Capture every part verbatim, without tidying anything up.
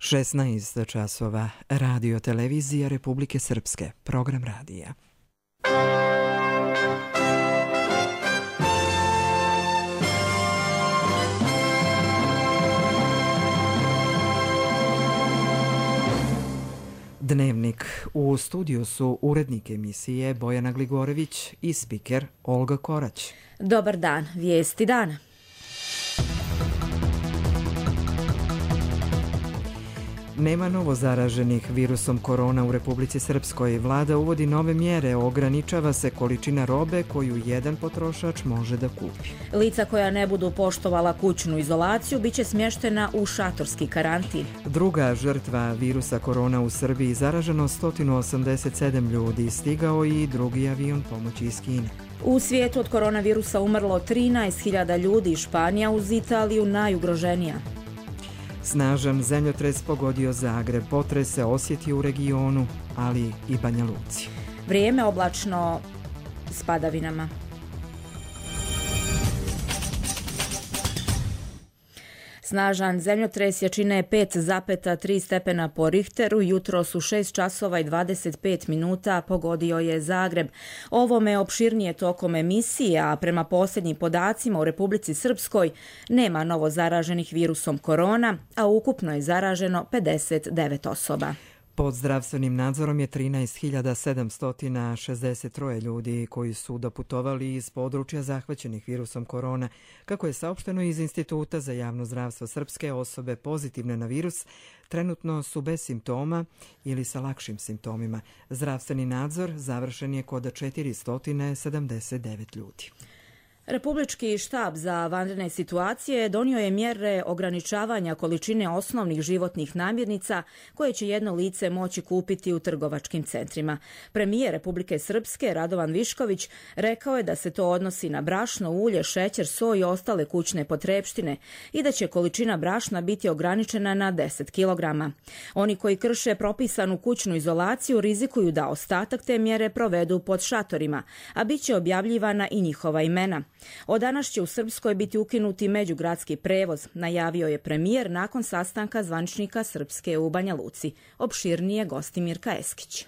šesnaest časova, Radio Televizija Republike Srpske, program radija. Dnevnik. U studiju su urednik emisije Bojana Gligorević i spiker Olga Korać. Dobar dan, vijesti dana. Nema novo zaraženih virusom korona u Republici Srpskoj. Vlada uvodi nove mjere, ograničava se količina robe koju jedan potrošač može da kupi. Lica koja ne budu poštovala kućnu izolaciju biće smještena u šatorski karantin. Druga žrtva virusa korona u Srbiji, zaraženo sto osamdeset sedam ljudi, stigao i drugi avion pomoći iz Kine. U svijetu od koronavirusa umrlo trinaest hiljada ljudi, Španija uz Italiju najugroženija. Snažan zemljotres pogodio Zagreb, potres se osjetio u regionu, ali i Banja Luci. Vrijeme oblačno s padavinama. Snažan zemljotres jačine pet zarez tri stepena po Richteru, jutros u šest časova i dvadeset pet minuta pogodio je Zagreb. Ovome opširnije tokom emisije, a prema posljednjim podacima u Republici Srpskoj nema novo zaraženih virusom korona, a ukupno je zaraženo pedeset devet osoba. Pod zdravstvenim nadzorom je trinaest hiljada sedamsto šezdeset tri ljudi koji su doputovali iz područja zahvaćenih virusom korona. Kako je saopšteno iz Instituta za javno zdravstvo Srpske, osobe pozitivne na virus trenutno su bez simptoma ili sa lakšim simptomima. Zdravstveni nadzor završen je kod četiristo sedamdeset devet ljudi. Republički štab za vanredne situacije donio je mjere ograničavanja količine osnovnih životnih namirnica koje će jedno lice moći kupiti u trgovačkim centrima. Premijer Republike Srpske Radovan Višković rekao je da se to odnosi na brašno, ulje, šećer, so i ostale kućne potrepštine i da će količina brašna biti ograničena na deset kilograma. Oni koji krše propisanu kućnu izolaciju rizikuju da ostatak te mjere provedu pod šatorima, a bit će objavljivana i njihova imena. Od danas će u Srpskoj biti ukinuti međugradski prevoz, najavio je premijer nakon sastanka zvaničnika Srpske u Banja Luci. Opširnije Gostimirka Eskić.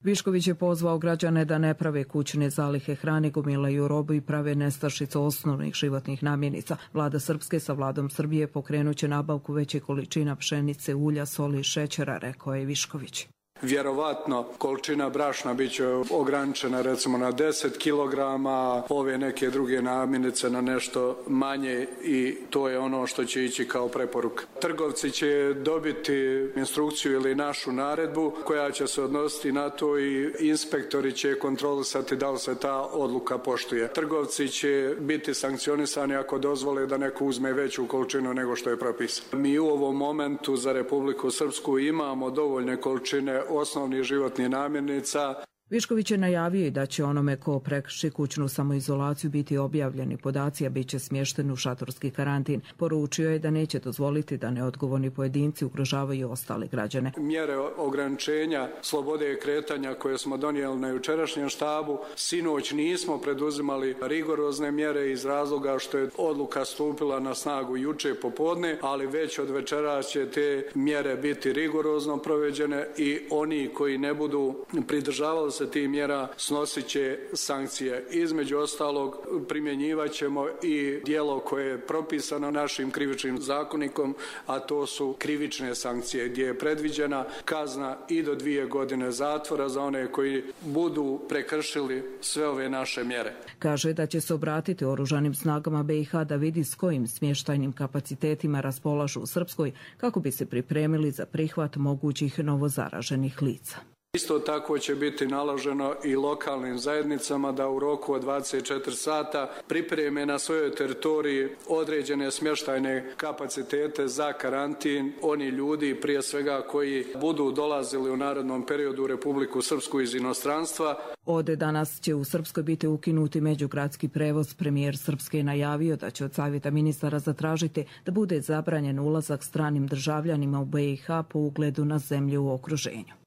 Višković je pozvao građane da ne prave kućne zalihe hrane, gomilaju robu i prave nestašicu osnovnih životnih namirnica. Vlada Srpske sa vladom Srbije pokrenuće nabavku veće količina pšenice, ulja, soli i šećera, rekao je Višković. Vjerovatno količina brašna bit će ograničena recimo na deset kilograma, ove neke druge namirnice na nešto manje i to je ono što će ići kao preporuka. Trgovci će dobiti instrukciju ili našu naredbu koja će se odnositi na to i inspektori će kontrolisati da li se ta odluka poštuje. Trgovci će biti sankcionisani ako dozvole da neko uzme veću količinu nego što je propisano. Mi u ovom momentu za Republiku Srpsku imamo dovoljne količine osnovnih životnih namirnica. Višković je najavio i da će onome ko prekrši kućnu samoizolaciju biti objavljeni podaci, a bit će smješten u šatorski karantin. Poručio je da neće dozvoliti da neodgovorni pojedinci ugrožavaju ostale građane. Mjere ograničenja slobode kretanja koje smo donijeli na jučerašnjem štabu, sinoć nismo preduzimali rigorozne mjere iz razloga što je odluka stupila na snagu juče popodne, ali već od večera će te mjere biti rigorozno provođene i oni koji ne budu pridržavali se tih mjera snosit će sankcije. Između ostalog primjenjivat ćemo i djelo koje je propisano našim krivičnim zakonikom, a to su krivične sankcije gdje je predviđena kazna i do dvije godine zatvora za one koji budu prekršili sve ove naše mjere. Kaže da će se obratiti oružanim snagama be i ha da vidi s kojim smještajnim kapacitetima raspolažu u Srpskoj kako bi se pripremili za prihvat mogućih novozaraženih lica. Isto tako će biti naloženo i lokalnim zajednicama da u roku od dvadeset četiri sata pripreme na svojoj teritoriji određene smještajne kapacitete za karantin oni ljudi prije svega koji budu dolazili u narednom periodu u Republiku Srpsku iz inostranstva. Od danas će u Srpskoj biti ukinuti međugradski prevoz. Premijer Srpske je najavio da će od Savjeta ministara zatražiti da bude zabranjen ulazak stranim državljanima u be i ha po ugledu na zemlje u okruženju.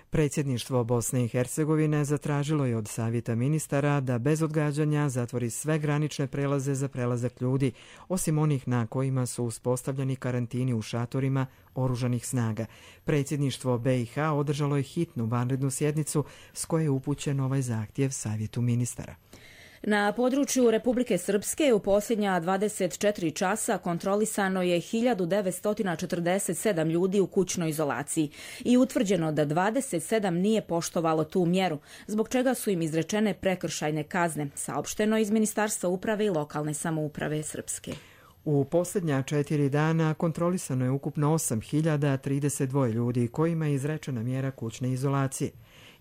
Predsjedništvo Bosne i Hercegovine zatražilo je od Savjeta ministara da bez odgađanja zatvori sve granične prelaze za prelazak ljudi, osim onih na kojima su uspostavljeni karantini u šatorima oružanih snaga. Predsjedništvo B i H održalo je hitnu vanrednu sjednicu s koje je upućen ovaj zahtjev Savjetu ministara. Na području Republike Srpske u posljednja dvadeset četiri časa kontrolisano je hiljadu devetsto četrdeset sedam ljudi u kućnoj izolaciji i utvrđeno da dvadeset sedam nije poštovalo tu mjeru, zbog čega su im izrečene prekršajne kazne, saopšteno iz Ministarstva uprave i lokalne samouprave Srpske. U posljednja četiri dana kontrolisano je ukupno osam hiljada trideset dva ljudi kojima je izrečena mjera kućne izolacije.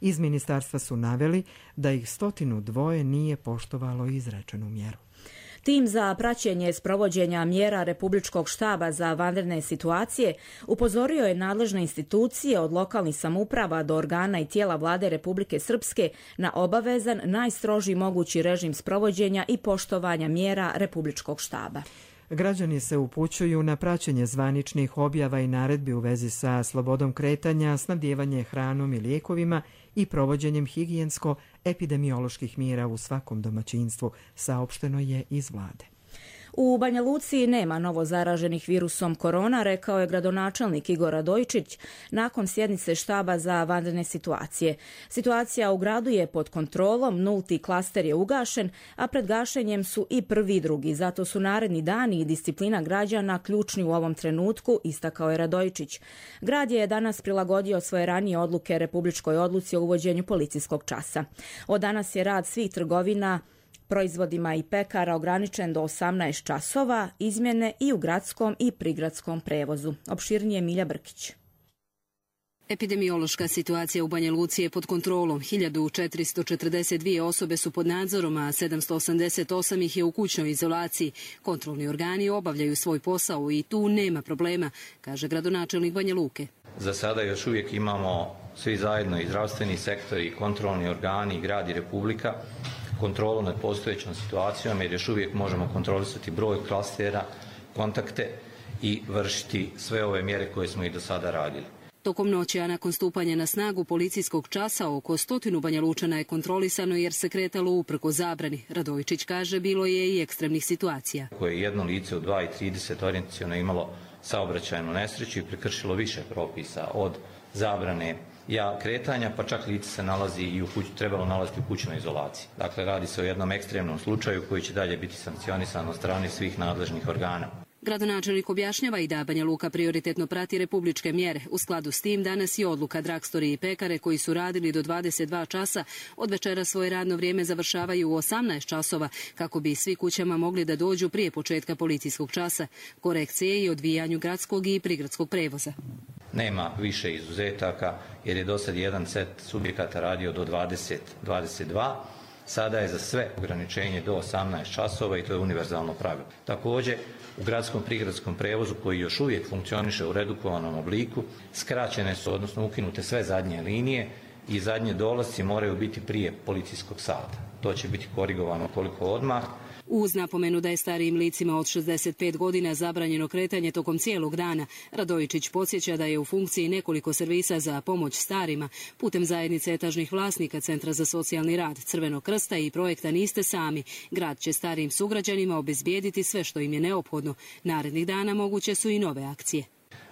Iz ministarstva su naveli da ih stotinu dvoje nije poštovalo izrečenu mjeru. Tim za praćenje sprovođenja mjera Republičkog štaba za vanredne situacije upozorio je nadležne institucije od lokalnih samouprava do organa i tijela vlade Republike Srpske na obavezan najstrožiji mogući režim sprovođenja i poštovanja mjera Republičkog štaba. Građani se upućuju na praćenje zvaničnih objava i naredbi u vezi sa slobodom kretanja, snabdijevanje hranom i lijekovima i provođenjem higijensko-epidemioloških mjera u svakom domaćinstvu, saopšteno je iz vlade. U Banja Luci nema novo zaraženih virusom korona, rekao je gradonačelnik Igor Radojičić nakon sjednice štaba za vanredne situacije. Situacija u gradu je pod kontrolom, nulti klaster je ugašen, a pred gašenjem su i prvi i drugi. Zato su naredni dani i disciplina građana ključni u ovom trenutku, istakao je Radojičić. Grad je danas prilagodio svoje ranije odluke Republičkoj odluci o uvođenju policijskog časa. Od danas je rad svih trgovina proizvodima i pekara ograničen do osamnaest časova, izmjene i u gradskom i prigradskom prevozu. Opširnije Milja Brkić. Epidemiološka situacija u Banja Luci je pod kontrolom. hiljadu četiristo četrdeset dvije osobe su pod nadzorom, a sedamsto osamdeset osam ih je u kućnoj izolaciji. Kontrolni organi obavljaju svoj posao i tu nema problema, kaže gradonačelnik Banja Luke. Za sada još uvijek imamo svi zajedno i zdravstveni sektor i kontrolni organi, grad i Republika, kontrolu nad postojećom situacijom, jer još uvijek možemo kontrolisati broj klastera, kontakte i vršiti sve ove mjere koje smo i do sada radili. Tokom noći, a nakon stupanja na snagu policijskog časa, oko stotinu Banja Lučana je kontrolisano jer se kretalo uprko zabrani. Radojičić kaže, bilo je i ekstremnih situacija. Koje je jedno lice u dva i trideset orijentaciono imalo saobraćajnu nesreću i prekršilo više propisa od zabrane ja kretanja, pa čak lice se nalazi i u kući, trebalo nalaziti u kućnoj izolaciji. Dakle, radi se o jednom ekstremnom slučaju koji će dalje biti sankcionisan od strane svih nadležnih organa. Gradonačelnik objašnjava i da Banja Luka prioritetno prati republičke mjere. U skladu s tim danas je odluka dragstori i pekare koji su radili do dvadeset dva časa od večera svoje radno vrijeme završavaju u osamnaest časova kako bi svi kućama mogli da dođu prije početka policijskog časa. Korekcije i odvijanju gradskog i prigradskog prevoza. Nema više izuzetaka jer je do sad jedan set subjekata radio do dvadeset do dvadeset dva. Sada je za sve ograničenje do osamnaest časova i to je univerzalno pravilo. Također, u gradskom prigradskom prevozu koji još uvijek funkcioniše u redukovanom obliku, skraćene su, odnosno ukinute sve zadnje linije i zadnje dolasci moraju biti prije policijskog sata. To će biti korigovano koliko odmah. Uz napomenu da je starijim licima od šezdeset pet godina zabranjeno kretanje tokom cijelog dana, Radojičić podsjeća da je u funkciji nekoliko servisa za pomoć starima putem zajednice etažnih vlasnika Centra za socijalni rad, Crvenog krsta i projekta Niste sami. Grad će starijim sugrađanima obezbijediti sve što im je neophodno. Narednih dana moguće su i nove akcije.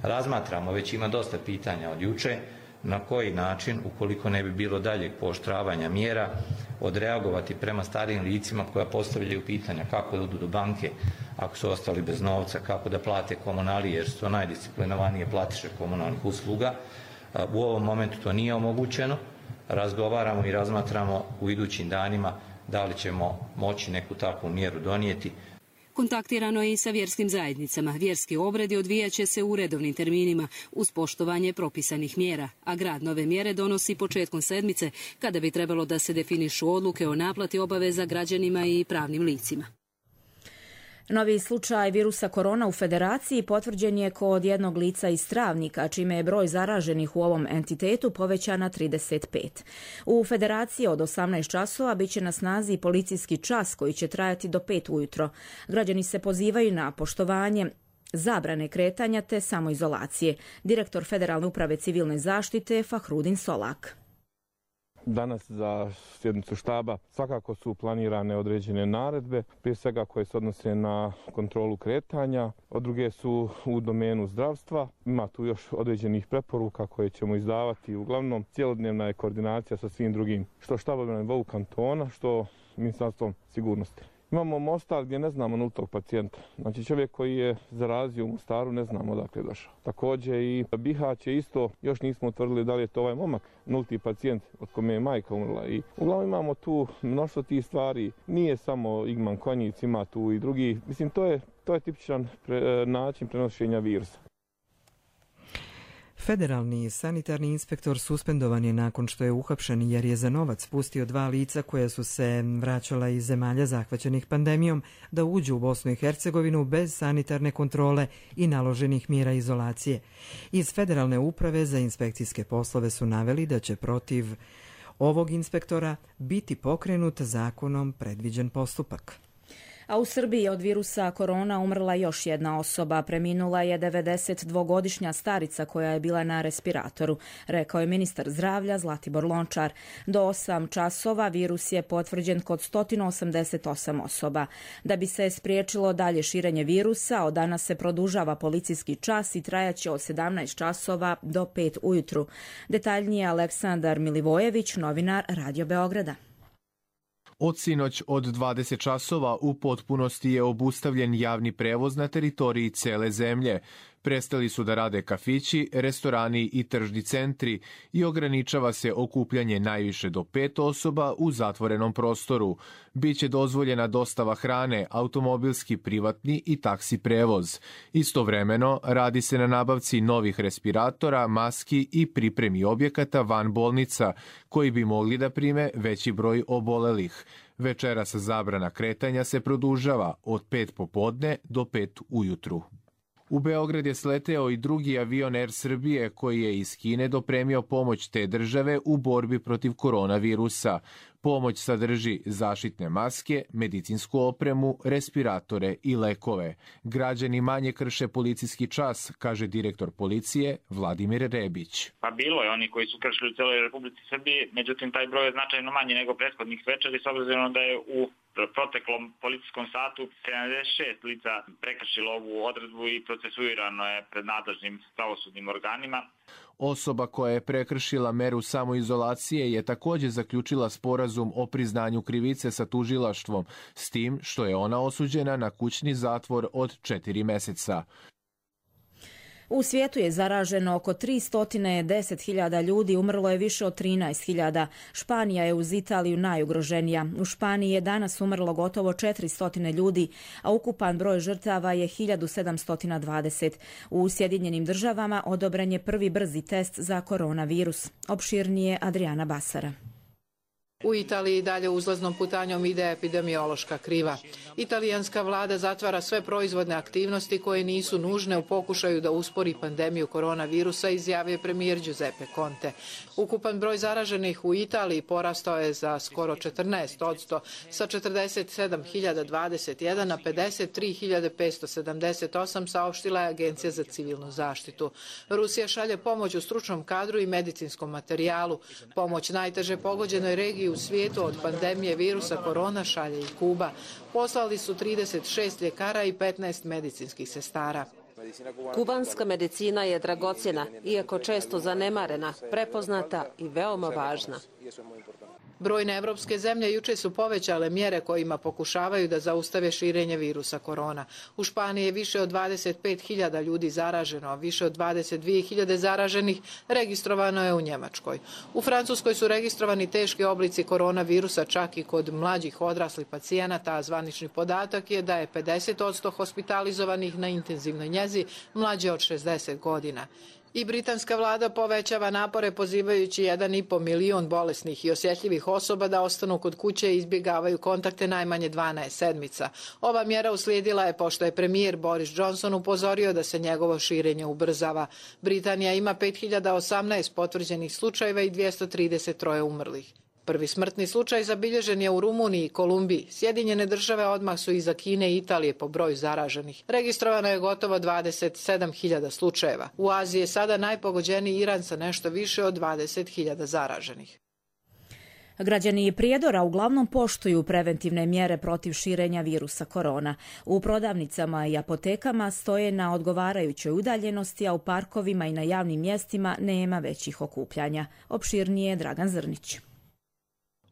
Razmatramo, već ima dosta pitanja od juče, na koji način, ukoliko ne bi bilo daljeg pooštravanja mjera, odreagovati prema starijim licima koja postavljaju pitanja kako da odu do banke ako su ostali bez novca, kako da plate komunalije jer su to najdisciplinovanije platiše komunalnih usluga. U ovom momentu to nije omogućeno. Razgovaramo i razmatramo u idućim danima da li ćemo moći neku takvu mjeru donijeti. Kontaktirano je i sa vjerskim zajednicama. Vjerski obredi odvijat će se u redovnim terminima uz poštovanje propisanih mjera, a grad nove mjere donosi početkom sedmice kada bi trebalo da se definišu odluke o naplati obaveza građanima i pravnim licima. Novi slučaj virusa korona u Federaciji potvrđen je kod jednog lica iz Travnika, čime je broj zaraženih u ovom entitetu povećan na trideset pet. U Federaciji od osamnaest časova bit će na snazi policijski čas koji će trajati do pet ujutro. Građani se pozivaju na poštovanje zabrane kretanja te samoizolacije. Direktor Federalne uprave civilne zaštite Fahrudin Solak. Danas za sjednicu štaba svakako su planirane određene naredbe, prije svega koje se odnose na kontrolu kretanja, a druge su u domenu zdravstva. Ima tu još određenih preporuka koje ćemo izdavati. Uglavnom, cjelodnevna je koordinacija sa svim drugim, što štabovima na nivou kantona, što Ministarstvom sigurnosti. Imamo Mostar gdje ne znamo nultog pacijenta. Znači čovjek koji je zarazio u Mostaru ne znamo odakle je došao. Također i Bihać je isto, još nismo utvrdili da li je to ovaj momak, nulti pacijent od kome je majka umrla. I uglavnom imamo tu mnoštvo tih stvari. Nije samo Igman Konjic, ima tu i drugi. Mislim, to je, to je tipičan pre, način prenošenja virusa. Federalni sanitarni inspektor suspendovan je nakon što je uhapšen jer je za novac pustio dva lica koja su se vraćala iz zemalja zahvaćenih pandemijom da uđu u Bosnu i Hercegovinu bez sanitarne kontrole i naloženih mjera izolacije. Iz Federalne uprave za inspekcijske poslove su naveli da će protiv ovog inspektora biti pokrenut zakonom predviđen postupak. A u Srbiji je od virusa korona umrla još jedna osoba. Preminula je devedesetdvogodišnja starica koja je bila na respiratoru, rekao je ministar zdravlja Zlatibor Lončar. Do osam časova virus je potvrđen kod sto osamdeset osam osoba. Da bi se spriječilo dalje širenje virusa, od danas se produžava policijski čas i trajaće od sedamnaest časova do pet ujutru. Detaljnije Aleksandar Milivojević, novinar Radio Beograda. Od sinoć od dvadeset časova u potpunosti je obustavljen javni prevoz na teritoriji cele zemlje. Prestali su da rade kafići, restorani i tržni centri i ograničava se okupljanje najviše do pet osoba u zatvorenom prostoru. Biće dozvoljena dostava hrane, automobilski, privatni i taksi prevoz. Istovremeno radi se na nabavci novih respiratora, maski i pripremi objekata van bolnica koji bi mogli da prime veći broj obolelih. Večeras zabrana kretanja se produžava od pet popodne do pet ujutru. U Beograd je sleteo i drugi avion Air Srbije koji je iz Kine dopremio pomoć te države u borbi protiv koronavirusa. Pomoć sadrži zaštitne maske, medicinsku opremu, respiratore i lekove. Građani manje krše policijski čas, kaže direktor policije Vladimir Rebić. Pa bilo je oni koji su kršili u celoj Republici Srbije, međutim taj broj je značajno manji nego prethodnih večeri, s obzirom da je u proteklom policijskom satu sedamdeset šest lica prekršilo ovu odredbu i procesuirano je pred nadležnim pravosudnim organima. Osoba koja je prekršila meru samoizolacije je također zaključila sporazum o priznanju krivice sa tužilaštvom, s tim što je ona osuđena na kućni zatvor od četiri meseca. U svijetu je zaraženo oko tristo deset hiljada ljudi, umrlo je više od trinaest hiljada. Španija je uz Italiju najugroženija. U Španiji je danas umrlo gotovo četiristo ljudi, a ukupan broj žrtava je hiljadu sedamsto dvadeset. U Sjedinjenim državama odobren je prvi brzi test za koronavirus. Opširnije Adriana Basara. U Italiji dalje uzlaznom putanjom ide epidemiološka kriva. Italijanska vlada zatvara sve proizvodne aktivnosti koje nisu nužne u pokušaju da uspori pandemiju koronavirusa, izjavio premijer Giuseppe Conte. Ukupan broj zaraženih u Italiji porastao je za skoro četrnaest posto, sa četrdeset sedam hiljada dvadeset jedan na pedeset tri hiljade petsto sedamdeset osam, saopštila je Agencija za civilnu zaštitu. Rusija šalje pomoć u stručnom kadru i medicinskom materijalu. Pomoć najteže pogođenoj regiji u svijetu od pandemije virusa korona šalje i Kuba. Poslali su trideset šest ljekara i petnaest medicinskih sestara. Kubanska medicina je dragocjena, iako često zanemarena, prepoznata i veoma važna. Brojne evropske zemlje juče su povećale mjere kojima pokušavaju da zaustave širenje virusa korona. U Španiji je više od dvadeset pet hiljada ljudi zaraženo, a više od dvadeset dvije hiljade zaraženih registrovano je u Njemačkoj. U Francuskoj su registrovani teški oblici koronavirusa čak i kod mlađih odraslih pacijenata, a zvanični podatak je da je pedeset posto hospitalizovanih na intenzivnoj njezi mlađe od šezdeset godina. I britanska vlada povećava napore pozivajući jedan i po milion bolesnih i osjetljivih osoba da ostanu kod kuće i izbjegavaju kontakte najmanje dvanaest sedmica. Ova mjera uslijedila je pošto je premijer Boris Johnson upozorio da se njegovo širenje ubrzava. Britanija ima pet hiljada osamnaest potvrđenih slučajeva i dvjesto trideset tri umrlih. Prvi smrtni slučaj zabilježen je u Rumuniji i Kolumbiji. Sjedinjene države odmah su iza Kine i Italije po broju zaraženih. Registrovano je gotovo dvadeset sedam hiljada slučajeva. U Aziji je sada najpogođeniji Iran sa nešto više od dvadeset hiljada zaraženih. Građani Prijedora uglavnom poštuju preventivne mjere protiv širenja virusa korona. U prodavnicama i apotekama stoje na odgovarajućoj udaljenosti, a u parkovima i na javnim mjestima nema većih okupljanja. Opširnije Dragan Zrnić.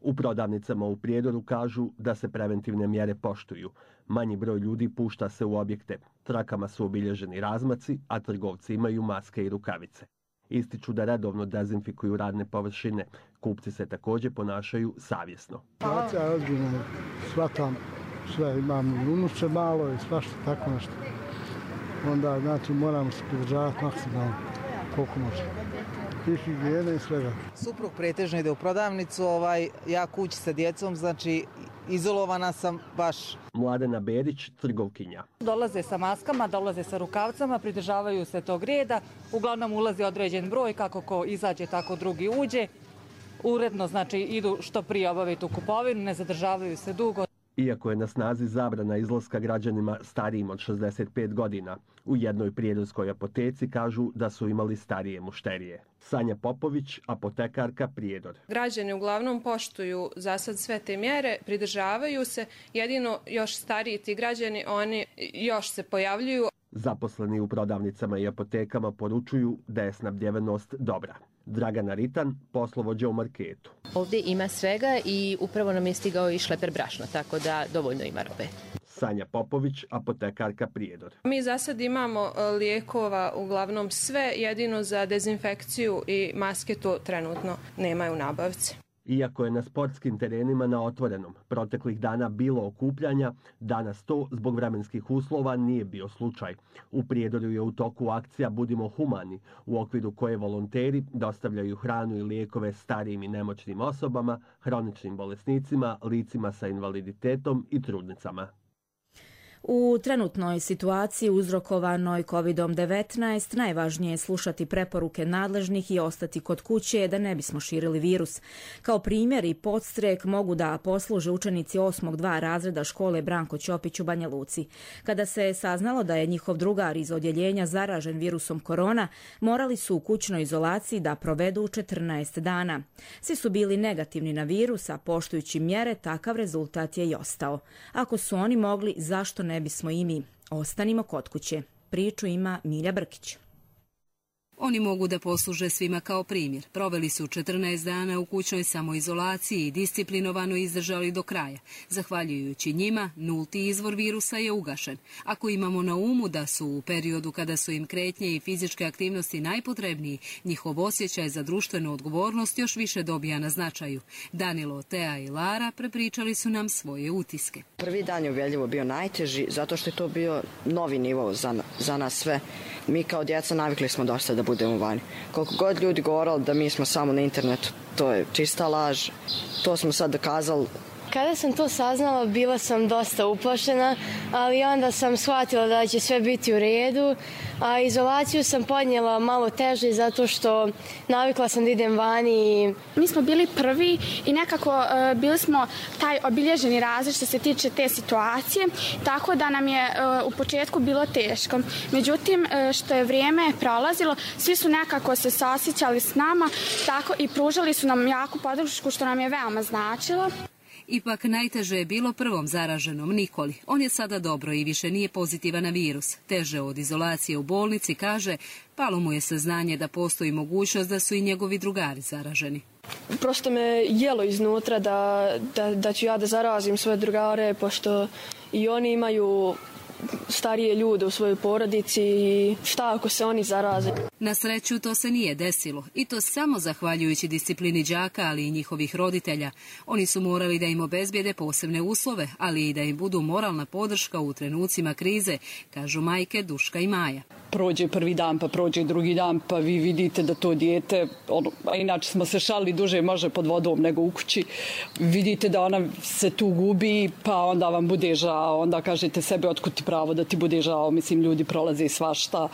U prodavnicama u Prijedoru kažu da se preventivne mjere poštuju. Manji broj ljudi pušta se u objekte. Trakama su obilježeni razmaci, a trgovci imaju maske i rukavice. Ističu da redovno dezinfikuju radne površine. Kupci se također ponašaju savjesno. Situacija je ozbiljna. Shvatam sve, imam unuče malo i svašta tako nešto. Onda znači moramo se pridržavati maksimalno koliko može. I higijene i svega. Suprug pretežno ide u prodavnicu, ovaj, ja kući sa djecom, znači izolovana sam baš. Mladena Berić, trgovkinja. Dolaze sa maskama, dolaze sa rukavcama, pridržavaju se tog reda. Uglavnom ulazi određen broj, kako ko izađe, tako drugi uđe. Uredno, znači, idu što prije obaviti u kupovinu, ne zadržavaju se dugo. Iako je na snazi zabrana izlaska građanima starijim od šezdeset pet godina, u jednoj prijedorskoj apoteci kažu da su imali starije mušterije. Sanja Popović, apotekarka Prijedor. Građani uglavnom poštuju za sad sve te mjere, pridržavaju se, jedino još stariji ti građani, oni još se pojavljuju. Zaposleni u prodavnicama i apotekama poručuju da je snabdjevenost dobra. Dragana Ritan, poslovođa u marketu. Ovdje ima svega i upravo nam je stigao i šleper brašna, tako da dovoljno ima robe. Sanja Popović, apotekarka Prijedor. Mi za sad imamo lijekova uglavnom sve, jedino za dezinfekciju i maske to trenutno nemaju nabavci. Iako je na sportskim terenima na otvorenom proteklih dana bilo okupljanja, danas to zbog vremenskih uslova nije bio slučaj. U Prijedoru je u toku akcija Budimo humani, u okviru koje volonteri dostavljaju hranu i lijekove starijim i nemoćnim osobama, hroničnim bolesnicima, licima sa invaliditetom i trudnicama. U trenutnoj situaciji uzrokovanoj kovid devetnaest najvažnije je slušati preporuke nadležnih i ostati kod kuće da ne bismo širili virus. Kao primjer i podstrek mogu da posluže učenici osmog dva razreda škole Branko Ćopić u Banja Luci. Kada se saznalo da je njihov drugar iz odjeljenja zaražen virusom korona, morali su u kućnoj izolaciji da provedu četrnaest dana. Svi su bili negativni na virus, a poštujući mjere takav rezultat je i ostao. Ako su oni mogli, zašto ne? Ne bismo i mi. Ostanimo kod kuće. Priču ima Milja Brkić. Oni mogu da posluže svima kao primjer. Proveli su četrnaest dana u kućnoj samoizolaciji i disciplinovano izdržali do kraja. Zahvaljujući njima, nulti izvor virusa je ugašen. Ako imamo na umu da su u periodu kada su im kretnje i fizičke aktivnosti najpotrebniji, njihov osjećaj za društvenu odgovornost još više dobija na značaju. Danilo, Tea i Lara prepričali su nam svoje utiske. Prvi dan je uvjerljivo bio najteži zato što je to bio novi nivo za, za nas sve. Mi kao djeca navikli smo dosta da budemo vani. Koliko god ljudi govorili da mi smo samo na internetu, to je čista laž. To smo sad dokazali. Kada sam to saznala, bila sam dosta uplašena, ali onda sam shvatila da će sve biti u redu, a izolaciju sam podnijela malo teže zato što navikla sam da idem vani. Mi smo bili prvi i nekako uh, bili smo taj obilježeni razred što se tiče te situacije, tako da nam je uh, u početku bilo teško. Međutim, uh, što je vrijeme prolazilo, svi su nekako se sasjećali s nama, tako i pružali su nam jaku podršku što nam je veoma značilo. Ipak najteže je bilo prvom zaraženom Nikoli. On je sada dobro i više nije pozitivan na virus. Teže od izolacije u bolnici, kaže, palo mu je saznanje da postoji mogućnost da su i njegovi drugari zaraženi. Prosto me jelo iznutra da, da, da ću ja da zarazim svoje drugare, pošto i oni imaju starije ljude u svojoj porodici i šta ako se oni zaraze. Na sreću to se nije desilo i to samo zahvaljujući disciplini đaka, ali i njihovih roditelja. Oni su morali da im obezbijede posebne uslove, ali i da im budu moralna podrška u trenucima krize, kažu majke Duška i Maja. Prođe prvi dan, pa prođe drugi dan, pa vi vidite da to dijete, ono, a inače smo se šalili duže može pod vodom nego u kući, vidite da ona se tu gubi, pa onda vam bude žao, onda kažete sebe otkud ti pravo da ti bude žao, mislim ljudi prolaze svašta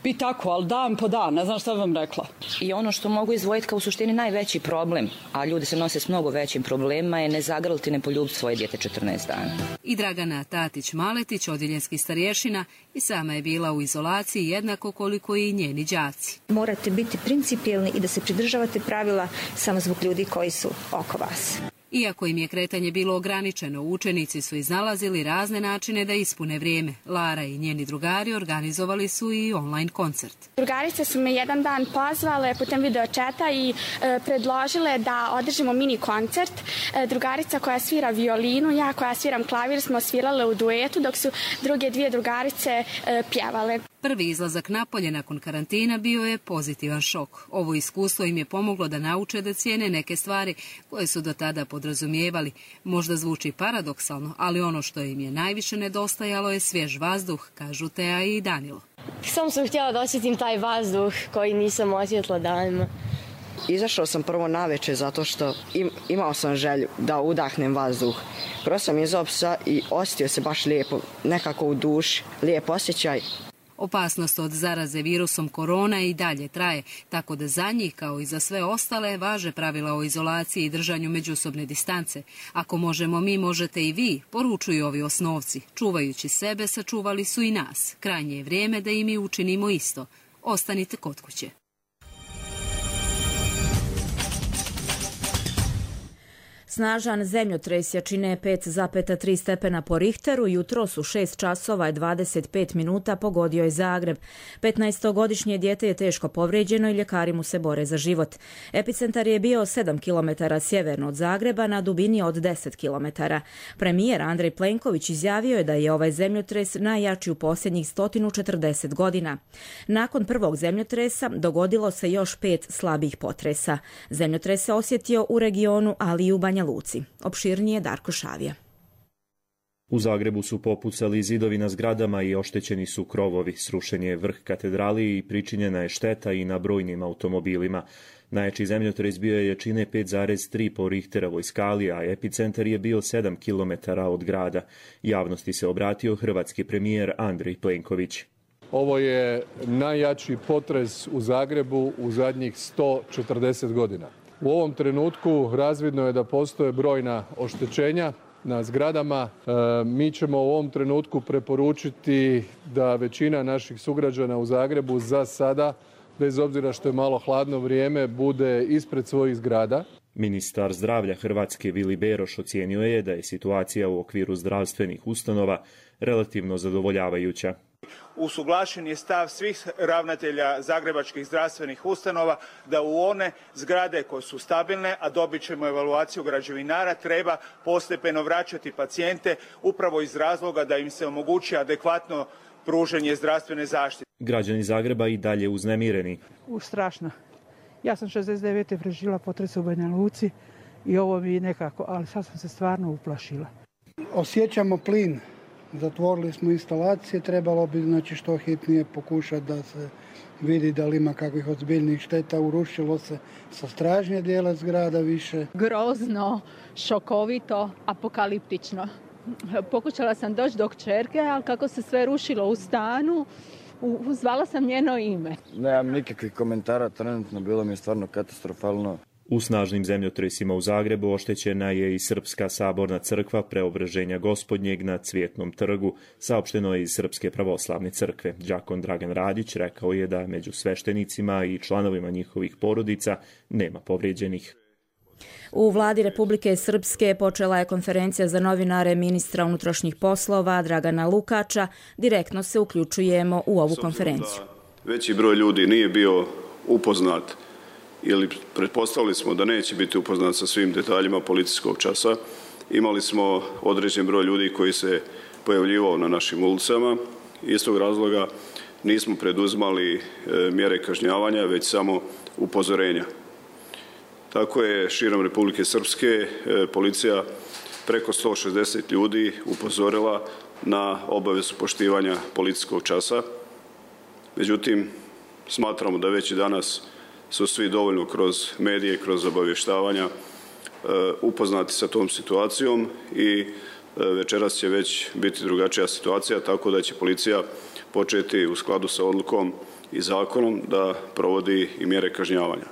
I tako, ali dan po dan, ne znam šta vam rekla. I ono što mogu izdvojiti kao u suštini najveći problem, a ljudi se nose s mnogo većim problemima, je ne zagrliti, ne poljubiti svoje dijete četrnaest dana. I Dragana Tatić-Maletić, odjeljenski starješina, i sama je bila u izolaciji jednako koliko i njeni đaci. Morate biti principijelni i da se pridržavate pravila samo zbog ljudi koji su oko vas. Iako im je kretanje bilo ograničeno, učenici su iznalazili razne načine da ispune vrijeme. Lara i njeni drugari organizovali su i online koncert. Drugarice su me jedan dan pozvale putem video četa i e, predložile da održimo mini koncert. E, drugarica koja svira violinu, ja koja sviram klavir smo svirale u duetu, dok su druge dvije drugarice e, pjevale. Prvi izlazak napolje nakon karantina bio je pozitivan šok. Ovo iskustvo im je pomoglo da nauče da cijene neke stvari koje su do tada podrazumijevali. Možda zvuči paradoksalno, ali ono što im je najviše nedostajalo je svjež vazduh, kažu Teja i Danilo. Samo sam htjela da osjetim taj vazduh koji nisam osjetila danima. Izašao sam prvo naveče zato što im, imao sam želju da udahnem vazduh. Prvo sam izao psa i osjetio se baš lijepo, nekako u duši, lijep osjećaj. Opasnost od zaraze virusom korona i dalje traje, tako da za njih, kao i za sve ostale, važe pravila o izolaciji i držanju međusobne distance. Ako možemo mi, možete i vi, poručuju ovi osnovci. Čuvajući sebe, sačuvali su i nas. Krajnje je vrijeme da i mi učinimo isto. Ostanite kod kuće. Snažan zemljotres jačine pet zarez tri stepena po Richteru jutros u šest časova i dvadeset pet minuta pogodio je Zagreb. petnaestogodišnje dijete je teško povrijeđeno i ljekari mu se bore za život. Epicentar je bio sedam kilometara sjeverno od Zagreba na dubini od deset kilometara. Premijer Andrej Plenković izjavio je da je ovaj zemljotres najjači u posljednjih sto četrdeset godina. Nakon prvog zemljotresa dogodilo se još pet slabih potresa. Zemljotres se osjetio u regionu, ali i u Banja Luci. Opširnije Darko Šavija. U Zagrebu su popucali zidovi na zgradama i oštećeni su krovovi. Srušen je vrh katedrali i pričinjena je šteta i na brojnim automobilima. Najjači zemljotres bio je jačine pet zarez tri po Richterovoj skali, a epicentar je bio sedam kilometara od grada. Javnosti se obratio hrvatski premijer Andrej Plenković. Ovo je najjači potres u Zagrebu u zadnjih sto četrdeset godina. U ovom trenutku razvidno je da postoje brojna oštećenja na zgradama. E, mi ćemo u ovom trenutku preporučiti da većina naših sugrađana u Zagrebu za sada, bez obzira što je malo hladno vrijeme, bude ispred svojih zgrada. Ministar zdravlja Hrvatske Vili Beroš ocijenio je da je situacija u okviru zdravstvenih ustanova relativno zadovoljavajuća. Usuglašen je stav svih ravnatelja zagrebačkih zdravstvenih ustanova da u one zgrade koje su stabilne, a dobit ćemo evaluaciju građevinara, treba postepeno vraćati pacijente upravo iz razloga da im se omogući adekvatno pružanje zdravstvene zaštite. Građani Zagreba i dalje uznemireni. U, strašno. Ja sam šezdeset devete preživjela potres u Banja Luci i ovo mi nekako, ali sad sam se stvarno uplašila. Osjećamo plin. Zatvorili smo instalacije, trebalo bi znači što hitnije pokušati da se vidi da li ima kakvih ozbiljnih šteta. Urušilo se sa stražnje dijela zgrada više. Grozno, šokovito, apokaliptično. Pokušala sam doći do kćerke, ali kako se sve rušilo u stanu, zvala sam njeno ime. Nemam nikakvih komentara, trenutno bilo mi je stvarno katastrofalno. U snažnim zemljotresima u Zagrebu oštećena je i Srpska saborna crkva Preobraženja Gospodnjeg na Cvjetnom trgu, saopšteno je iz Srpske pravoslavne crkve. Đakon Dragan Radić rekao je da među sveštenicima i članovima njihovih porodica nema povrijeđenih. U vladi Republike Srpske počela je konferencija za novinare ministra unutrašnjih poslova Dragana Lukača. Direktno se uključujemo u ovu konferenciju. Veći broj ljudi nije bio upoznat ili pretpostavili smo da neće biti upoznat sa svim detaljima policijskog časa. Imali smo određen broj ljudi koji se pojavljivao na našim ulicama. Iz tog razloga nismo preduzimali mjere kažnjavanja, već samo upozorenja. Tako je širom Republike Srpske policija preko sto šezdeset ljudi upozorila na obavezu poštivanja policijskog časa. Međutim, smatramo da već i danas su svi dovoljno kroz medije, kroz obavještavanja upoznati sa tom situacijom i večeras će već biti drugačija situacija, tako da će policija početi u skladu sa odlukom i zakonom da provodi i mjere kažnjavanja.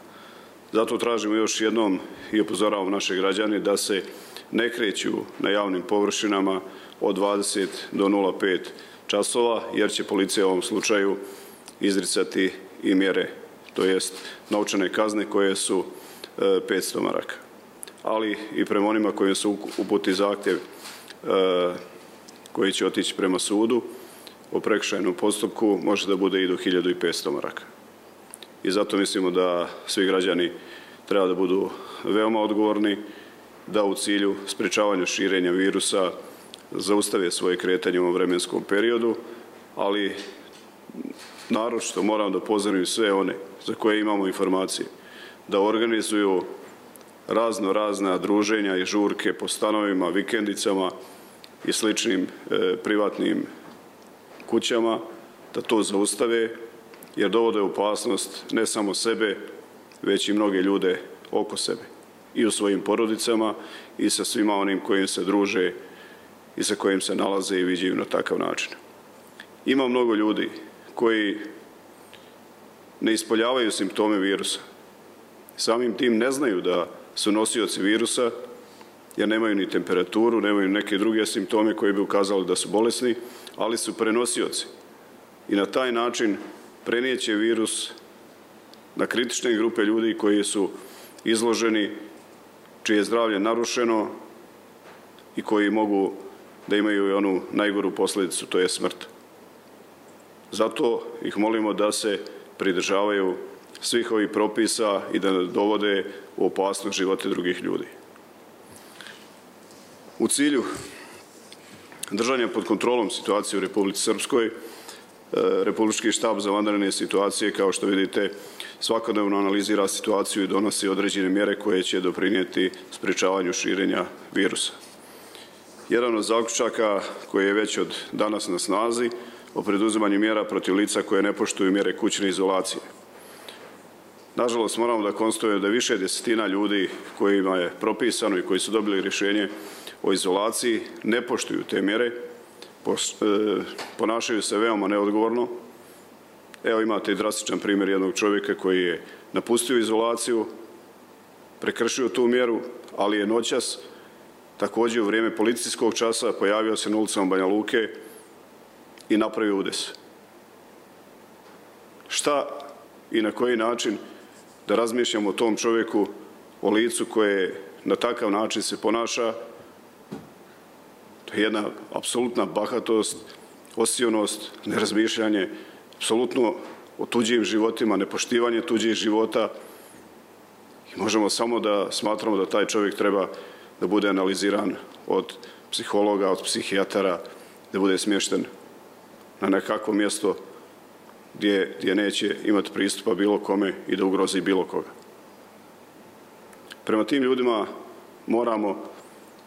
Zato tražimo još jednom i upozoravamo naše građane da se ne kreću na javnim površinama od dvadeset do nula pet časova, jer će policija u ovom slučaju izricati i mjere, to jest novčane kazne koje su petsto maraka. Ali i prema onima kojim se uputi zahtjev koji će otići prema sudu o prekršajnom postupku može da bude i do hiljadu petsto maraka. I zato mislimo da svi građani treba da budu veoma odgovorni, da u cilju sprečavanja širenja virusa zaustave svoje kretanje u ovom vremenskom periodu, ali naročito moram da upozorim sve one za koje imamo informacije da organizuju razno razna druženja i žurke po stanovima, vikendicama i sličnim e, privatnim kućama, da to zaustave, jer dovode opasnost ne samo sebe, već i mnoge ljude oko sebe i u svojim porodicama i sa svima onim kojim se druže i sa kojim se nalaze i viđaju na takav način. Ima mnogo ljudi koji ne ispoljavaju simptome virusa. Samim tim ne znaju da su nosioci virusa, jer nemaju ni temperaturu, nemaju neke druge simptome koji bi ukazali da su bolesni, ali su prenosioci. I na taj način prenijeće virus na kritične grupe ljudi koji su izloženi, čije je zdravlje narušeno i koji mogu da imaju i onu najgoru posljedicu, to je smrt. Zato ih molimo da se pridržavaju svih ovih propisa i da ne dovode u opasnost živote drugih ljudi. U cilju držanja pod kontrolom situacije u Republici Srpskoj, Republički štab za vanredne situacije, kao što vidite, svakodnevno analizira situaciju i donosi određene mjere koje će doprinijeti sprečavanju širenja virusa. Jedan od zaključaka koji je već od danas na snazi o preduzimanju mjera protiv lica koje ne poštuju mjere kućne izolacije. Nažalost, moramo da konstatujemo da više desetina ljudi kojima je propisano i koji su dobili rješenje o izolaciji ne poštuju te mjere, ponašaju se veoma neodgovorno. Evo imate i drastičan primjer jednog čovjeka koji je napustio izolaciju, prekršio tu mjeru, ali je noćas, također u vrijeme policijskog časa, pojavio se na ulicama Banja Luke i napravio udes. Šta i na koji način da razmišljamo o tom čovjeku, o licu koje na takav način se ponaša? To je jedna apsolutna bahatost, osionost, nerazmišljanje, apsolutno o tuđim životima, nepoštivanje tuđih života. I možemo samo da smatramo da taj čovjek treba da bude analiziran od psihologa, od psihijatara, da bude smješten na nekakvo mjesto gdje, gdje neće imati pristupa bilo kome i da ugrozi bilo koga. Prema tim ljudima moramo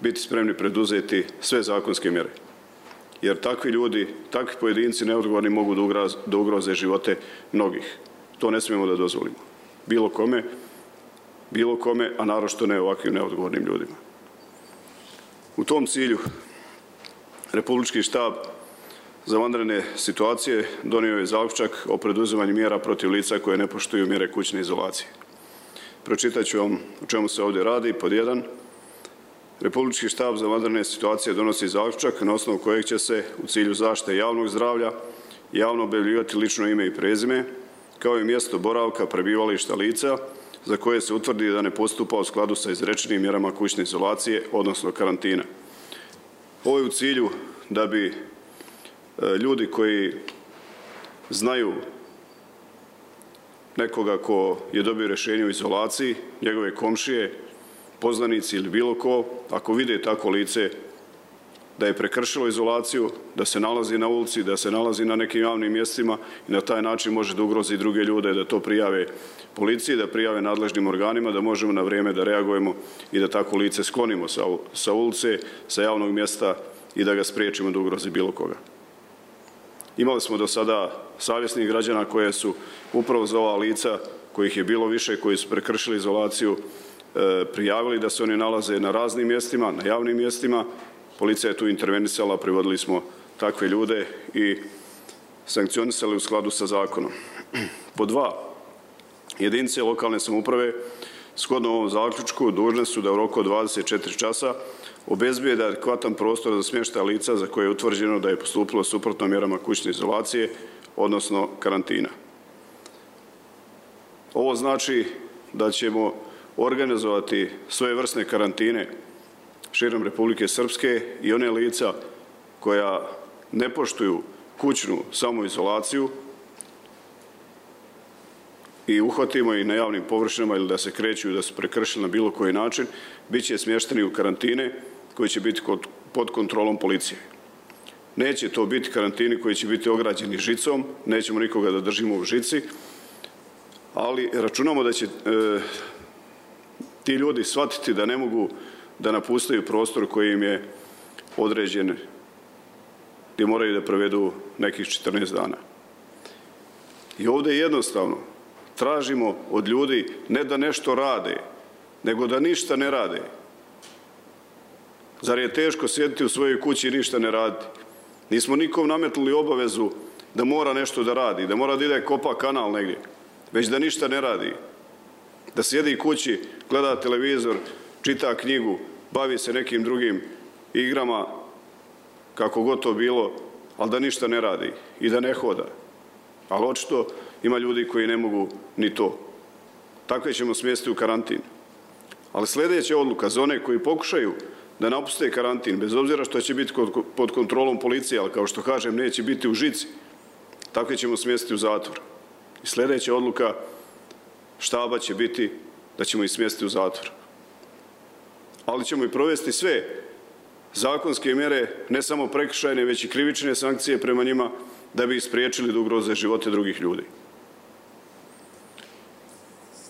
biti spremni preduzeti sve zakonske mjere. Jer takvi ljudi, takvi pojedinci neodgovorni mogu da ugroze živote mnogih. To ne smijemo da dozvolimo. Bilo kome, bilo kome, a naročito ne ovakvim neodgovornim ljudima. U tom cilju Republički štab za vanredne situacije donio je zaključak o preduzimanju mjera protiv lica koje ne poštuju mjere kućne izolacije. Pročitat ću vam o čemu se ovdje radi. Pod jedan, Republički štab za vanredne situacije donosi zaključak na osnovu kojeg će se u cilju zaštite javnog zdravlja javno objavljivati lično ime i prezime, kao i mjesto boravka prebivališta lica za koje se utvrdi da ne postupa u skladu sa izrečenim mjerama kućne izolacije, odnosno karantina. Ovo je u cilju da bi ljudi koji znaju nekoga ko je dobio rješenje u izolaciji, njegove komšije, poznanici ili bilo ko, ako vide tako lice da je prekršilo izolaciju, da se nalazi na ulici, da se nalazi na nekim javnim mjestima i na taj način može da ugrozi druge ljude, da to prijave policiji, da prijave nadležnim organima, da možemo na vrijeme da reagujemo i da tako lice sklonimo sa, sa ulice, sa javnog mjesta i da ga spriječimo da ugrozi bilo koga. Imali smo do sada savjesnih građana koje su upravo za ova lica, kojih je bilo više, koji su prekršili izolaciju, prijavili da se oni nalaze na raznim mjestima, na javnim mjestima. Policija je tu intervenisala, privodili smo takve ljude i sankcionisale u skladu sa zakonom. Po dva, jedinice lokalne samouprave shodno ovom zaključku dužne su da u roku od dvadeset četiri časa obezbijede adekvatan prostor za smještaj lica za koje je utvrđeno da je postupilo suprotno mjerama kućne izolacije, odnosno karantina. Ovo znači da ćemo organizovati svojevrsne karantine širom Republike Srpske i one lica koja ne poštuju kućnu samoizolaciju i uhvatimo ih na javnim površinama ili da se kreću i da su prekršili na bilo koji način, bit će smješteni u karantine koji će biti pod kontrolom policije. Neće to biti karantini koji će biti ograđeni žicom, nećemo nikoga da držimo u žici, ali računamo da će e, ti ljudi shvatiti da ne mogu da napustaju prostor koji im je određen, gdje moraju da provedu nekih četrnaest dana. I ovdje jednostavno tražimo od ljudi ne da nešto rade, nego da ništa ne rade. Zar je teško sjediti u svojoj kući i ništa ne raditi? Nismo nikom nametnuli obavezu da mora nešto da radi, da mora da ide kopa kanal negdje, već da ništa ne radi. Da sjedi kući, gleda televizor, čita knjigu, bavi se nekim drugim igrama, kako god to bilo, ali da ništa ne radi i da ne hoda. Ali očito ima ljudi koji ne mogu ni to. Takve ćemo smjestiti u karantin. Ali sljedeća odluka za one koji pokušaju da napuste karantin, bez obzira što će biti pod kontrolom policije, ali kao što kažem, neće biti u žici, takve ćemo smjestiti u zatvor. I sljedeća odluka štaba će biti da ćemo ih smjestiti u zatvor. Ali ćemo i provesti sve zakonske mjere, ne samo prekršajne, već i krivične sankcije prema njima, da bi ih spriječili da ugroze živote drugih ljudi.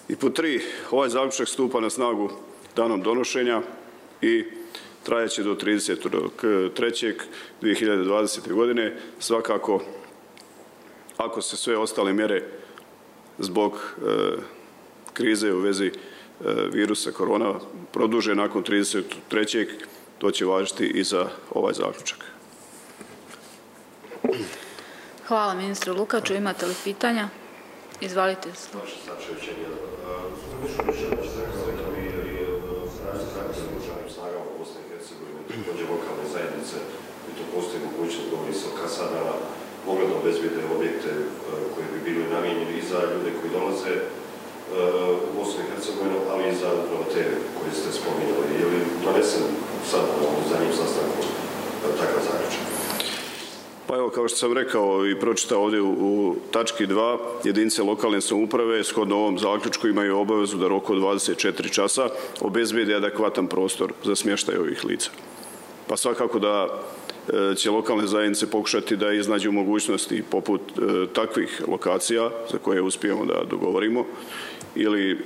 I po tri, ovaj zaključak stupa na snagu danom donošenja i trajaće do tridesetog trećeg dvije hiljade dvadesete. godine. Svakako, ako se sve ostale mjere zbog e, krize u vezi e, virusa korona produže nakon tridesetog trećeg to će važiti i za ovaj zaključak. Hvala ministru Lukaču. Imate li pitanja? Izvalite. Lokalne zajednice, i to postoji mogućnost, govori se o kasadama, mogli da obezbijede objekte koji bi bili namijenjeni i za ljude koji dolaze u Bosnu i Hercegovinu, ali i za upravo te koje ste spominjali. Je li donesen sad u zadnjem sastanku takav zaključak? Pa evo, kao što sam rekao i pročitao ovdje u, u tački dva, jedinice lokalne samouprave shodno ovom zaključku imaju obavezu da roku od dvadeset četiri časa obezbijede adekvatan prostor za smještaj ovih lica. Pa svakako da e, će lokalne zajednice pokušati da iznađu mogućnosti poput e, takvih lokacija za koje uspijemo da dogovorimo ili e,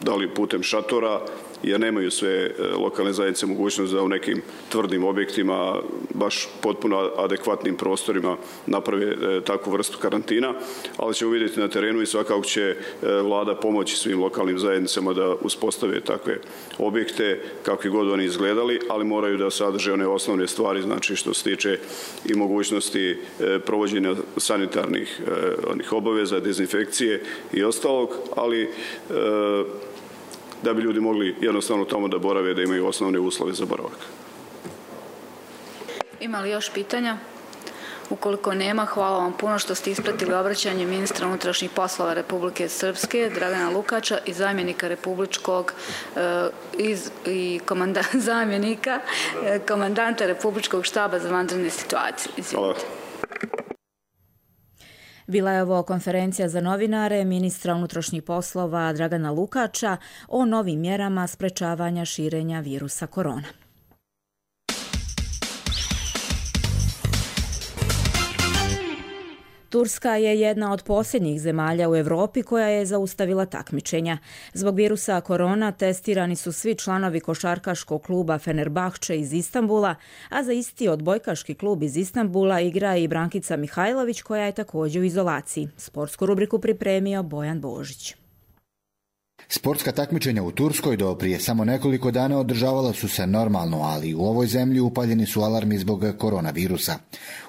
da li putem šatora, jer nemaju sve lokalne zajednice mogućnost da u nekim tvrdim objektima, baš potpuno adekvatnim prostorima naprave takvu vrstu karantina, ali ćemo vidjeti na terenu i svakako će vlada pomoći svim lokalnim zajednicama da uspostave takve objekte, kakvi god oni izgledali, ali moraju da sadrže one osnovne stvari, znači što se tiče i mogućnosti provođenja sanitarnih onih obaveza, dezinfekcije i ostalog, ali da bi ljudi mogli jednostavno tamo da borave, da imaju osnovne uslove za boravak. Ima li još pitanja? Ukoliko nema, hvala vam puno što ste ispratili obraćanje ministra unutrašnjih poslova Republike Srpske, Dragana Lukača i zamjenika republičkog e, iz, i komanda, zamjenika e, komandanta Republičkog štaba za vanredne situacije. Hvala. Bila je ovo konferencija za novinare ministra unutrašnjih poslova Dragana Lukača o novim mjerama sprečavanja širenja virusa korona. Turska je jedna od posljednjih zemalja u Europi koja je zaustavila takmičenja. Zbog virusa korona testirani su svi članovi košarkaškog kluba Fenerbahče iz Istanbula, a za isti odbojkaški klub iz Istanbula igra i Brankica Mihajlović koja je također u izolaciji. Sportsku rubriku pripremio Bojan Božić. Sportska takmičenja u Turskoj do prije samo nekoliko dana održavala su se normalno, ali u ovoj zemlji upaljeni su alarmi zbog koronavirusa.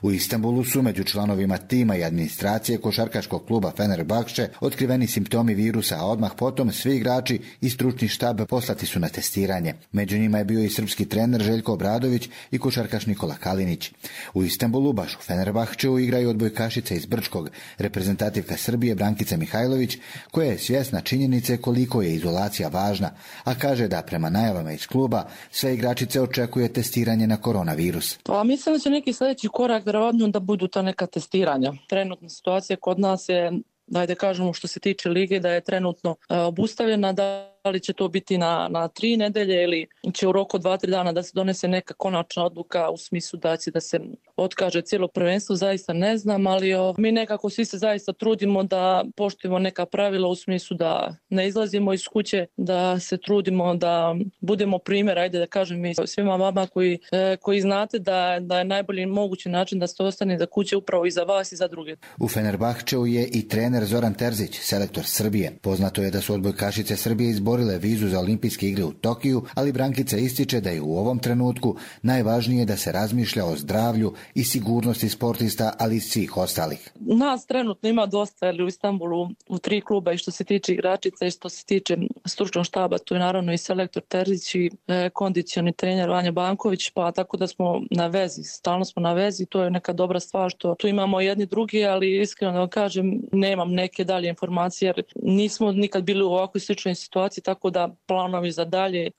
U Istanbulu su među članovima tima i administracije košarkaškog kluba Fenerbahče otkriveni simptomi virusa, a odmah potom svi igrači i stručni štab poslati su na testiranje. Među njima je bio i srpski trener Željko Obradović i košarkaš Nikola Kalinić. U Istanbulu, baš u Fenerbahčeu, igraju odbojkašica iz Brčkog, reprezentativka Srbije Brankica Mihajlović, koja je svjesna činjenice koliko je izolacija važna, a kaže da prema najavama iz kluba sve igračice očekuje testiranje na koronavirus. Pa mislim da će neki sljedeći korak vjerovatno da budu ta neka testiranja. Trenutna situacija kod nas je, da kažemo što se tiče lige, da je trenutno e, obustavljena, da li će to biti na, na tri nedelje ili će u roku dva, tri dana da se donese neka konačna odluka u smislu da će da se otkaže cijelo prvenstvo, zaista ne znam, ali o, mi nekako svi se zaista trudimo da poštujemo neka pravila u smislu da ne izlazimo iz kuće, da se trudimo da budemo primjer, ajde da kažem i svima vama koji, e, koji znate da, da je najbolji mogući način da se ostane za kuće upravo i za vas i za druge. U Fenerbahčeu je i trener Zoran Terzić, selektor Srbije. Poznato je da su odbojkašice Srbije izborile vizu za olimpijske igre u Tokiju, ali Brankica ističe da je u ovom trenutku najvažnije da se razmišlja o zdravlju i sigurnosti sportista, ali i svih ostalih. Nas trenutno ima dosta, ali u Istanbulu u tri kluba, i što se tiče igračica i što se tiče stručnog štaba, tu je naravno i selektor Terzić i e, kondicioni trener Vanja Banković, pa tako da smo na vezi, stalno smo na vezi, to je neka dobra stvar što tu imamo jedni drugi, ali iskreno da vam kažem, nemam neke dalje informacije jer nismo nikad bili u ovakvoj sličnoj situaciji, tako da planovi za dalje,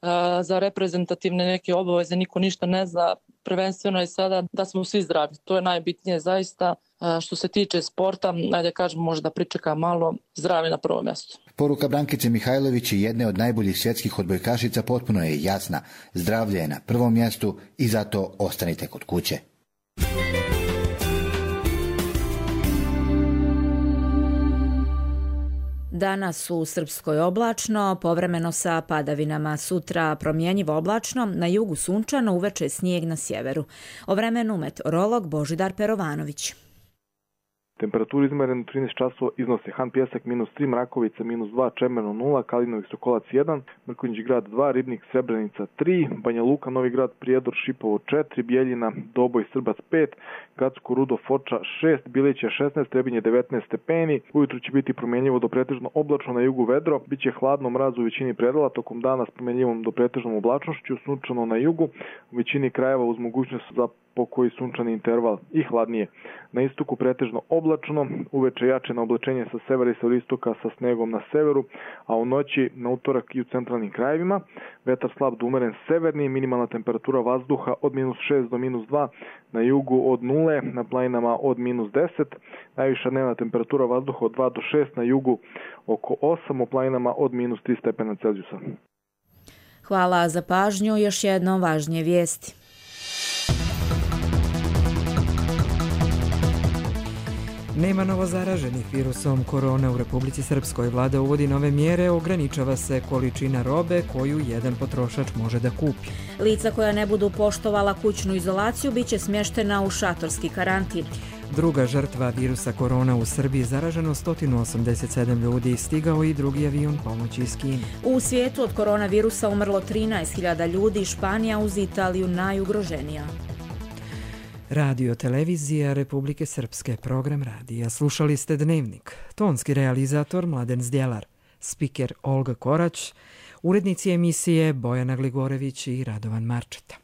za reprezentativne neke obaveze niko ništa ne zna. Prvenstveno je sada da smo svi zdravi. To je najbitnije zaista. Što se tiče sporta, ajde kažem, možda pričeka malo, zdravi na prvom mjestu. Poruka Brankice Mihajlović i jedne od najboljih svjetskih odbojkašica potpuno je jasna. Zdravlje je na prvom mjestu i zato ostanite kod kuće. Danas u Srpskoj oblačno, povremeno sa padavinama. Sutra promjenjivo oblačno, na jugu sunčano, uveče snijeg na sjeveru. O vremenu meteorolog Božidar Perovanović. Temperaturu izmerenu trinaest časova iznose Han Pjesak minus tri, Mrakovica minus dva, Čemerno nula, Kalinović Sokolac jedan, Mrkonjić grad dva, Ribnik Srebrenica tri, Banja Luka, Novi grad, Prijedor, Šipovo četiri, Bijeljina, Doboj, Srbac pet, Gacko, Rudo, Foča šest, Bilić je šesnaest, Trebinje devetnaest stepeni, ujutru će biti promjenjivo do pretežno oblačno, na jugu vedro, bit će hladno, mraz u većini predela, tokom dana s promjenjivom do pretežnom oblačnošću, sunčano na jugu, u većini krajeva uz mogućnost za pokoji sunčani interval i hladnije. Na istoku pretežno oblačno, uveče jače na oblačenje sa severa i sa istoka sa snegom na severu, a u noći na utorak i u centralnim krajevima. Vetar slab do umeren severni, minimalna temperatura vazduha od minus šest do minus dva, na jugu od nule, na planinama od minus deset, najviša dnevna temperatura vazduha od dva do šest, na jugu oko osam, u planinama od minus tri stepena Celzijusa. Hvala za pažnju, još jednom važnije vijesti. Nema novozaraženih virusom korona u Republici Srpskoj. Vlada uvodi nove mjere, ograničava se količina robe koju jedan potrošač može da kupi. Lica koja ne budu poštovala kućnu izolaciju biće smještena u šatorski karantin. Druga žrtva virusa korona u Srbiji, zaraženo sto osamdeset sedam ljudi, stigao i drugi avion pomoći iz Kine. U svijetu od koronavirusa umrlo trinaest hiljada ljudi, Španija uz Italiju najugroženija. Radio televizija Republike Srpske, program radija. Slušali ste Dnevnik. Tonski realizator Mladen Zdjelar, spiker Olga Korać, urednici emisije Bojana Gligorević i Radovan Marčeta.